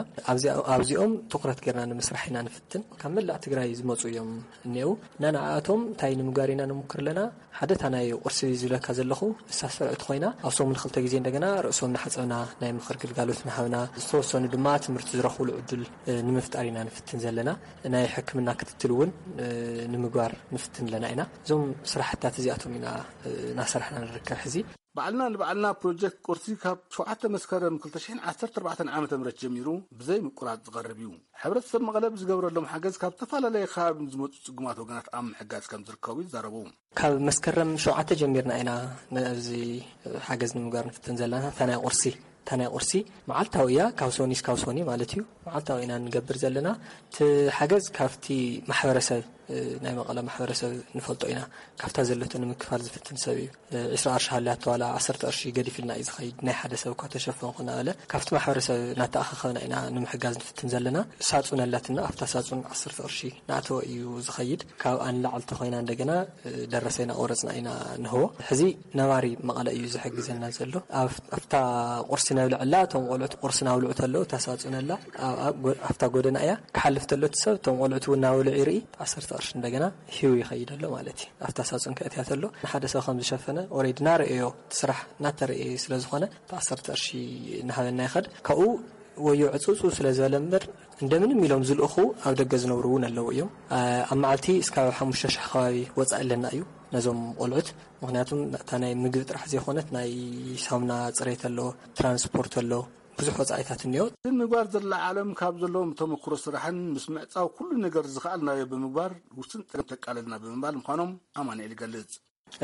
ኣብዚኦም ትኩረት ጌርና ንምስራሕ ኢና ንፍትን። ካብ መላእ ትግራይ ዝመፁ እዮም እኒአው እና ንዓኣቶም እንታይ ንምግባር ኢና ንምክር ኣለና? ሓደ እታ ናይ ቁርሲ ዝብለካ ዘለኹ እሳ ስርዕቲ ኮይና ኣብ ሰሙን ክልተ ግዜ እንደገና ርእሶም እናሓፀብና ናይ ምኽር ግልጋሎት እናሃብና ዝተወሰኑ ድማ ትምህርቲ ዝረኽብሉ ዕድል ንምፍጣር ኢና ንፍትን ዘለና። ናይ ሕክምና ክትትል እውን ንምግባር ንፍትን ኣለና ኢና። እዞም ስራሕታት እዚኣቶም ኢና እናሰራሕና ንርከብ ሕዚ። ባዕልና ንባዕልና ፕሮጀክት ቁርሲ ካብ ሸውዓተ መስከረም ክልተ ሽሕን ዓሰርተ ኣርባዕተን ዓመተ ምህረት ጀሚሩ ብዘይ ምቁራፅ ዝቐርብ እዩ። ሕብረተሰብ መቐለ ብዝገብረሎም ሓገዝ ካብ ዝተፈላለየ ከባቢ ዝመፁ ፅጉማት ወገናት ኣብ ምሕጋዝ ከም ዝርከቡ ይዛረቡ። ካብ መስከረም ሸውዓተ ጀሚርና ኢና ነዚ ሓገዝ ንምግባር ንፍትን ዘለና። እታ ናይ ቁርሲ እታ ናይ ቁርሲ መዓልታዊ እያ፣ ካብ ሶኒ እስካብ ሶኒ ማለት እዩ። መዓልታዊ ኢና ንገብር ዘለና። እቲ ሓገዝ ካብቲ ማሕበረሰብ ናይ መቐለ ማሕበረሰብ ንፈልጦ ኢና። ካብታ ዘለቶ ንምክፋል ዝፍትን ሰብ እዩ። ዕስራ ቅርሺ ሃልያቶ ዋላ ዓሰርተ ቅርሺ ገዲፍልና እዩ ዝኸይድ። ናይ ሓደ ሰብ እኳ ተሸፈንኩ እናበለ ካብቲ ማሕበረሰብ እናተኣኻኸብና ኢና ንምሕጋዝ ንፍትን ዘለና። ሳጹን ኣላትና፣ ኣብታ ሳጹን ዓሰርተ ቅርሺ እናእተወ እዩ ዝኸይድ። ካብኣ ንላዕሊ ተኾይና እንደገና ደረሰ እናቆረፅና ኢና ንህቦ። ሕዚ ነባሪ መቐለ እዩ ዝሕግዘና ዘሎ። ኣብታ ቁርሲ ነብልዐላ እቶም ቆልዑት ቁርሲ ናብልዑ ተለዉ እታ ሳጹን ኣላ ኣብታ ጎደና እያ። ክሓልፍ ተሎ እቲ ሰብ እቶም ቆልዑት እውን ናበልዑ ይርኢ። ዓሰርተ ቅርሺ እንደገና ሂቡ ይኸይድ ኣሎ ማለት እዩ። ኣብታ ሳጹን ከእትያ ተሎ ንሓደ ሰብ ከም ዝሸፈነ ኦሬዲ እናረእዮ እቲ ስራሕ እናተረእየ ስለ ዝኾነ እቲ ዓሰርተ ቅርሺ እናሃበና ይኸድ። ካብኡ ወዮ ዕጹጹ ስለ ዝበለ እምበር እንደምንም ኢሎም ዝልእኹ ኣብ ደገ ዝነብሩ እውን ኣለዉ እዮም። ኣብ መዓልቲ እስካብ ሓሙሽተ ሽሕ ከባቢ ወፃኢ ኣለና እዩ ነዞም ቆልዑት። ምክንያቱም እታ ናይ ምግቢ ጥራሕ ዘይኮነት ናይ ሳሙና ፅሬት ኣሎ፣ ትራንስፖርት ኣሎ፣ ብዙሕ ወፃኢታት እኒኦ። እዚ ምግባር ዘለዓለም ካብ ዘለዎም ተመክሮ ስራሕን ምስ ምዕፃው ኩሉ ነገር ዝኸኣልናዮ ብምግባር ውስን ፀገም ተቃለልና ብምባል ምዃኖም ኣማኑኤል ይገልፅ።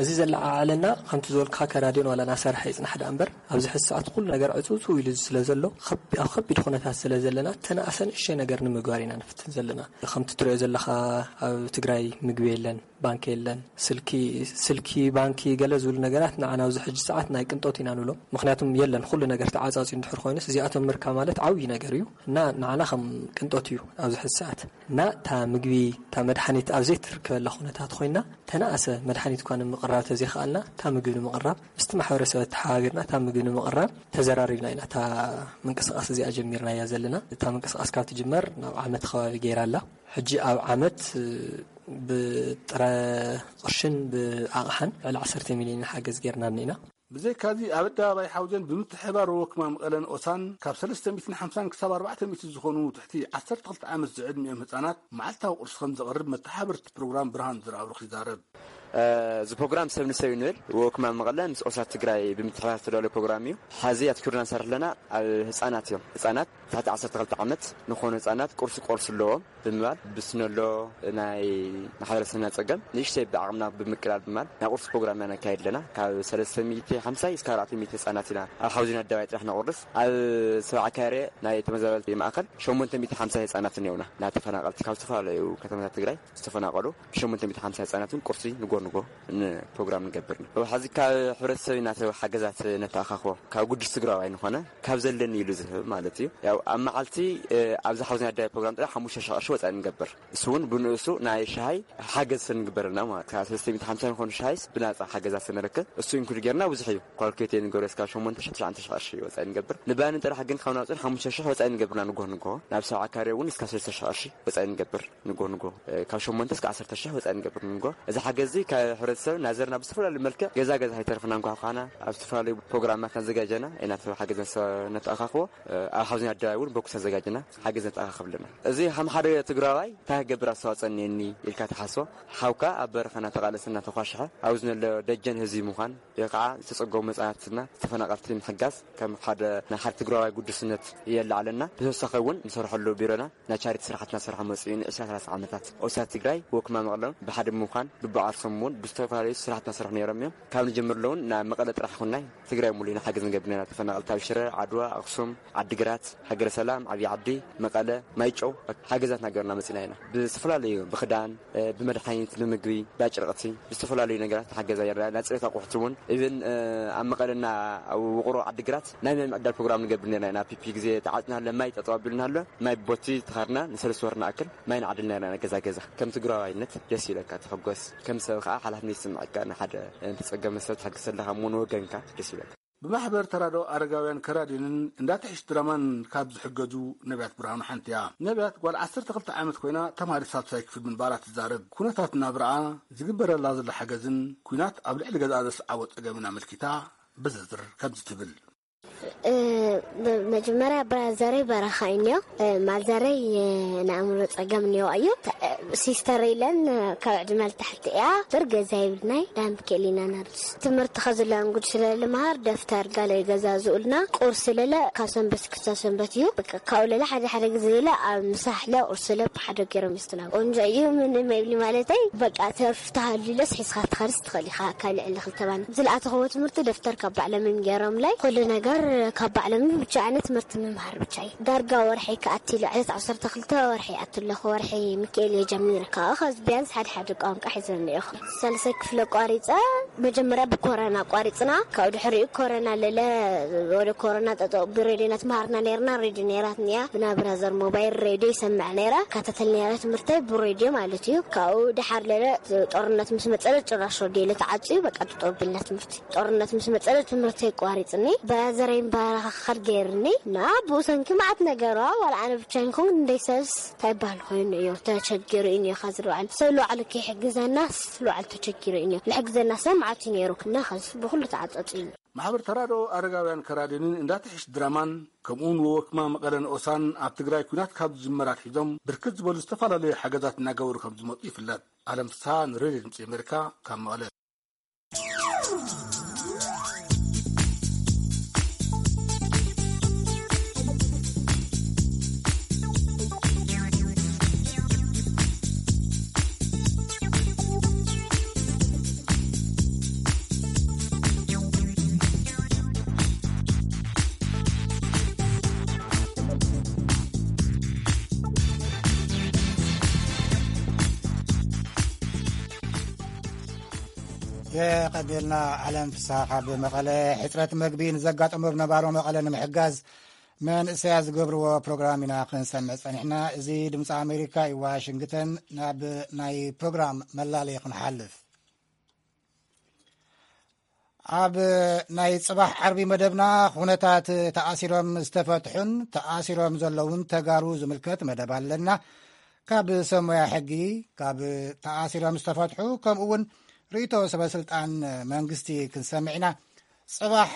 እዚ ዘለዓዓለና ከምቲ ዝበልኩኻ ከራድዮን ዋላ ናሰርሐ ይፅናሕ ደኣ እምበር ኣብዚ ሕዚ ሰዓት ኩሉ ነገር ዕፅውፅው ኢሉ ስለ ዘሎ ኣብ ከቢድ ኩነታት ስለ ዘለና ተናእሰ ንእሽተይ ነገር ንምግባር ኢና ንፍትን ዘለና። ከምቲ ትሪኦ ዘለኻ ኣብ ትግራይ ምግቢ የለን፣ ባንኪ የለን፣ ስልኪ ስልኪ ባንኪ ገለ ዝብሉ ነገራት ንዓና ኣብዚ ሕጂ ሰዓት ናይ ቅንጦት ኢና ንብሎም። ምክንያቱም የለን ኩሉ ነገር ተዓፃፂ እንድሕር ኮይኑስ እዚኣቶም ምርካብ ማለት ዓብዪ ነገር እዩ እና ንዓና ከም ቅንጦት እዩ ኣብዚ ሕዚ ሰዓት እና እታ ምግቢ እታ መድሓኒት ኣብ ዘይትርከበላ ኩነታት ኮይና ተናእሰ መድሓኒት እኳ ንምቕራብ ተዘይኸኣልና እታ ምግቢ ንምቕራብ ምስቲ ማሕበረሰብ ተሓባቢርና እታ ምግቢ ንምቕራብ ተዘራሪብና ኢና እታ ምንቅስቃስ እዚኣ ጀሚርናያ ዘለና። እታ ምንቅስቃስ ካብ ትጅመር ናብ ዓመት ከባቢ ገይራ ኣላ። ሕጂ ኣብ ዓመት ብጥረ ቅርሽን ብኣቕሓን ልዕሊ ዓሰርተ ሚልዮን ሓገዝ ጌርና እኒና። ብዘይካዚ ኣብ ኣደባባይ ሓውዜን ብምትሕብባር ወክማ መቐለን ኦሳን ካብ ሰለስተ ሚእትን ሓምሳን ክሳብ ኣርባዕተ ሚእቲ ዝኾኑ ትሕቲ ዓሰርተ ክልተ ዓመት ዝዕድሚኦም ህፃናት መዓልታዊ ቁርሲ ከም ዘቕርብ መተሓበርቲ ፕሮግራም ብርሃን ዝረኣብሩኽ ይዛረብ። እዚ ፕሮግራም ሰብ ንሰብ እዩ ንብል ወክማ መቐለ ምስ ኦሳ ትግራይ ብምትሕብባር ዝተዳለወ ፕሮግራም እዩ። ሐዚ ኣትኪሩና ንሰርሕ ኣለና ኣብ ህፃናት እዮም። ህፃናት ትሕቲ ዓሰርተ ክልተ ዓመት ንኾኑ ህፃናት ቁርሲ ቆርሱ ኣለዎም ብምባል ብስኖሎ ናይ ማሕበረሰብና ፀገም ንእሽተይ ብዓቕምና ብምቅላል ብምባል ናይ ቁርሲ ፕሮግራም ኢና ነካይድ ኣለና። ካብ ሰለስተ ሚእቲ ሓምሳ እስከ ኣርባዕተ ሚእቲ ህፃናት ኢና ኣብ ሓውዜን ኣደባባይ ጥራሕ ነቑርስ። ኣብ ሰብዓ ካሬ ናይ ተመዛበልቲ ማእኸል ሸሞንተ ሚእቲ ሓምሳ ህፃናት እኒኦና ናብ ተፈናቐልቲ ካብ ዝተፈላለዩ ከተማታት ትግራይ ዝተፈናቐሉ ሸሞንተ ሚእቲ ሓምሳ ህፃናት እውን ቁርሲ ንጎ ንጎ ንፕሮግራም ንገብር ኢና። ሕዚ ካብ ሕብረተሰብ ኢና ሓገዛት ነተኣኻኽቦ። ካብ ጉዱስ ትግራዋይ ንኾነ ካብ ዘለኒ ኢሉ ዝህብ ማለት እዩ። ያው ኣብ መዓልቲ፣ እ፣ ኣብዚ ሓውዝን ኣዳይ ፕሮግራም ጥራሕ ሓሙሽተ ሺሕ ቅርሺ ወፃኢ ንገብር። እሱ እውን ብንእሱ ናይ ሻሂ ሓገዝ ንግበረልና ማለት። ካብ ሰለስተ ሚእቲ ሓምሳ ንኾኑ ሻሂስ ብናፃ ሓገዛት ንረክብ። እሱ ኢንክሉድ ጌርና ብዙሕ እዩ። ኳልኩሌት ንገብሮ እስካብ ሸሞንተ ሺሕ ትሽዓተ ሺሕ ቅርሺ ወፃኢ ንገብር። ንባኒ ጥራሕ ግን ካብ ናውፅን ሓሙሽተ ሺሕ ወፃኢ ንገብርና ንጎ ንጎ። ናብ ሰብዓ ካሬ እውን እስካብ ሰለስተ ሺሕ ቅርሺ ወፃኢ ንገብር። ንጎ ንጎ፣ እ፣ ካብ ሸሞንተ እስከ ዓሰርተ ሺሕ ወፃኢ ንገብር ንጎ። እዚ ሓገዚ ካብ ሕብረተሰብ ናዘርና ብዝተፈላለዩ መልክዕ ገዛ ገዛ ከይተረፍና እንኳ ኳና ኣብ ዝተፈላለዩ ፕሮግራማት ኣዘጋጀና ኢና። ሰብ ሓገዝ ነሰ-፣ ነተኣኻኽቦ፣ እ፣ ኣብ ሓውዝን ኣደባባይ እውን በኩስ ኣዘጋጅና ሓገዝ ነተኣኻኽብ ኣለና። እዚ ከም ሓደ ትግራዋይ እንታይ ክገብር ኣስተዋፅኦ እኒአኒ ኢልካ ተሓስቦ፣ ሓውካ ኣብ በረኻ እናተቓለሰ እናተኳሸሐ ኣብዚ ዘሎ ደጀን ህዝቢ ምዃን፣ ወይ ከዓ ዝተፀገሙ መፅናትና ተፈናቐልቲ ምሕጋዝ ከም ሓደ ናይ ሓደ ትግራዋይ ጉዱስነት የለዓለና። ብተወሳኺ እውን ንሰርሐሉ ቢሮና ናይ ቻሪቲ ስራሕትና ሰርሖ መፅኡ ንዕስራ ሰላሳ ዓመታት። ኦሳት ትግራይ ወክማ መቕሎም ብሓደ ምዃን ልቡ ዓርሶም እውን ብዝተፈላለዩ ስራሕትና ሰርሑ ነይሮም እዮም። ካብ ንጀምር ኣለውን ናብ መቐለ ጥራሕ ይኹንናይ ትግራይ ሙሉ ኢና ሓገዝ ንገብር ነና። ተፈናቐልቲ ኣብ ሽረ፣ ዓድዋ፣ ኣኽሱም፣ ዓዲግራት፣ ሃገረ ሰላም፣ ዓብዪ ዓዲ፣ መቐለ፣ ማይጨው ሓገዛት ናገርና መፂና ኢና። ብዝተፈላለዩ ብክዳን፣ እ፣ ብመድሓኒት፣ ብምግቢ፣ ብኣጭርቕቲ፣ ብዝተፈላለዩ ነገራት ሓገዛ ይረዳ። ናይ ፅሬት ኣቑሑት እውን ኢቭን፣ እ፣ ኣብ መቐለና ኣብ ውቕሮ ዓዲግራት ናይ ማይ ምዕዳል ፕሮግራም ንገብር ነርና ኢና። ፒፒ ግዜ ተዓፅና ኣሎ፣ ማይ ጠጠው ኣቢሉና ኣሎ። ማይ ቦቲ ተኻርና ንሰለስተ ወር ንኣክል ማይ ንዓድል ነርና ኢና ገዛ ገዛ። ከም ትግራዋይነት ደስ ይብለካ፣ ትሕጎስ። ከም ሰብ ከዓ ሓላፍነት ይስምዐካ። ንሓደ፣ እ፣ ንተፀገመ ሰብ ትሕግዝ ዘለኻ እሞ ንወገንካ ደስ ይብለካ። ብማሕበር ተራድኦ ኣረጋውያን ከራዲንን እንዳትሕሽ ድራማን ካብ ዝሕገዙ ነቢያት ብርሃኑ ሓንቲ እያ። ነቢያት ጓል ዓሰርተ ክልተ ዓመት ኮይና ተማሃሪት ሳልሳይ ክፍሊ ምንባራ ትዛረብ። ኩነታት ናብራኣ፣ ዝግበረላ ዘሎ ሓገዝን ኩናት ኣብ ልዕሊ ገዛኣ ዘስዓቦ ጸገምን ኣመልኪታ ብዝርዝር ከምዚ ትብል። እ፣ ብ-፣ መጀመርያ ብራዘረይ በረኻ እዩ እኒኦ። እ፣ ማዘረይ፣ እ፣ ናይ ኣእምሮ ጸገም እኒኦ እዩ። ተ-፣ እ፣ ሲስተር ኢለን፣ እ፣ ካብ ዕድመ ልታሕቲ እያ። ብር ገዛ ይብልናይ ዳምብ ክእል ኢና ናርድስ። ትምህርቲ ከዝላን ጉድ ስለ ልምሃር ደፍተር ጋለ ይገዛዝኡልና። ቁርሲ ለለ ካብ ሰንበት ክሳብ ሰንበት እዩ። በቃ ካብኡ ለለ ሓደ ሓደ ግዜ ኢለ ኣብ ምሳሕ ለ ቁርሲ ለ ብሓደ ገይሮም ይስትናብ። ቆንጆ እዩ ምንም ኣይብሊ ማለተይ። በቃ ተርፍ ተሃልዩ ለስ ሒዝካ ትኸርስ ትኽእል ኢኻ ካብ ልዕሊ ክልተ ባኒ። ዝለኣተኽዎ ትምህርቲ ደፍተር ካብ ባዕሎም እዮም ገይሮምለይ። ኩሉ ነገር ካብ ባዕሎም እዩ። ብቻ ኣነ ትምህርቲ ምምሃር ብቻ እዩ። ዳርጋ ወርሒ ክኣቲ ኢለ ዕለት ዓሰርተ ክልተ ወርሒ ይኣቲ ኣለኹ። ወርሒ ሚካኤል እየ ጀሚረ። ካብኡ ኸዚ ቢያንስ ሓደ ሓደ ቋንቋ ሒዘ እኒኤኹ። ሳልሳይ ክፍሊ ኣቋሪፀ። መጀመርያ ብኮረና ኣቋሪፅና። ካብኡ ድሕሪኡ ኮረና ለለ ወደ ኮረና ጠጠው ብሬድዮ እናተምሃርና ነይርና። ሬድዮ ነይራትኒ እያ። ብናይ ብራዘር ሞባይል ሬድዮ ይሰምዕ ነይረ። ይከታተል ነይረ ትምህርተይ ብሬድዮ ማለት እዩ። ካብኡ ድሓር ለለ ጦርነት ምስ መፀለ ጭራሽ ሬድዮ ኢለ ተዓፅዩ። በቃ ጠጠው ኣቢልና ትምህርቲ። ጦርነት ምስ መፀለ ትምህርተይ ኣቋሪፅኒ። ብራዘረይ ምባራኻኸል ገይርኒ። እና ብኡ ሰንኪ መዓት ነገሯ ዋላ ኣነ ብቻ ይንኩን እንደይ ሰብስ እንታይ ይበሃል ኮይኑ እዩ ተቸጊሩ እዩ እኒኦ። ኻዚ ልባዕል ሰብ ልባዕሉ ከይሕግዘናስ ልባዕል ተቸጊሩ እዩ እኒኦ። ልሕግዘና ሰብ መዓት እዩ ነይሩ። እና ኻዚ ብኹሉ ተዓፀፂ እዩ። ማሕበር ተራድኦ ኣረጋውያን ከራዲንን እንዳትሕሽ ድራማን ከምኡውን ወወክማ መቐለ ንኦሳን ኣብ ትግራይ ኲናት ካብ ዝጅመር ኣትሒዞም ብርክት ዝበሉ ዝተፈላለዩ ሓገዛት እናገበሩ ከም ዝመፁ ይፍለጥ። ኣለም ፍስሃ ንሬድዮ ድምፂ ኣሜሪካ ካብ መቐለ። የቐንየልና ዓለም ፍስሃ ካብ መቐለ። ሕፅረት መግቢ ንዘጋጠሞ ነባሮ መቐለ ንምሕጋዝ መንእሰያት ዝገብርዎ ፕሮግራም ኢና ክንሰምዕ ጸኒሕና። እዚ ድምፂ ኣሜሪካ እዩ፣ ዋሽንግተን። ናብ ናይ ፕሮግራም መላለይ ክንሓልፍ፣ ኣብ ናይ ጽባሕ ዓርቢ መደብና ኩነታት ተኣሲሮም ዝተፈትሑን ተኣሲሮም ዘለውን ተጋሩ ዝምልከት መደብ ኣለና። ካብ ሰብ ሞያ ሕጊ፣ ካብ ተኣሲሮም ዝተፈትሑ፣ ከምኡ እውን ርእይቶ ሰበ ስልጣን መንግስቲ ክንሰምዕ ኢና። ጽባሕ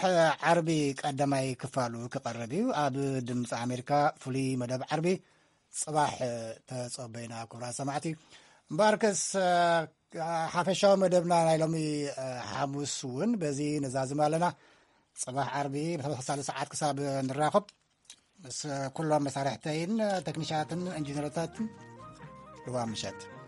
ዓርቢ ቀዳማይ ክፋሉ ክቐርብ እዩ። ኣብ ድምፂ ኣሜሪካ ፍሉይ መደብ ዓርቢ ጽባሕ ተጸበዩና ክቡራት ሰማዕቲ። እምበኣርከስ፣ ሓፈሻዊ መደብና ናይ ሎሚ ሓሙስ እውን በዚ ንዛዝም ኣለና። ጽባሕ ዓርቢ ብተመሳሳሊ ሰዓት ክሳብ ንራኸብ፣ ምስ ኩሎም መሳርሕተይን ተክኒሻትን ኢንጂነርታትን ልዋ ምሸት።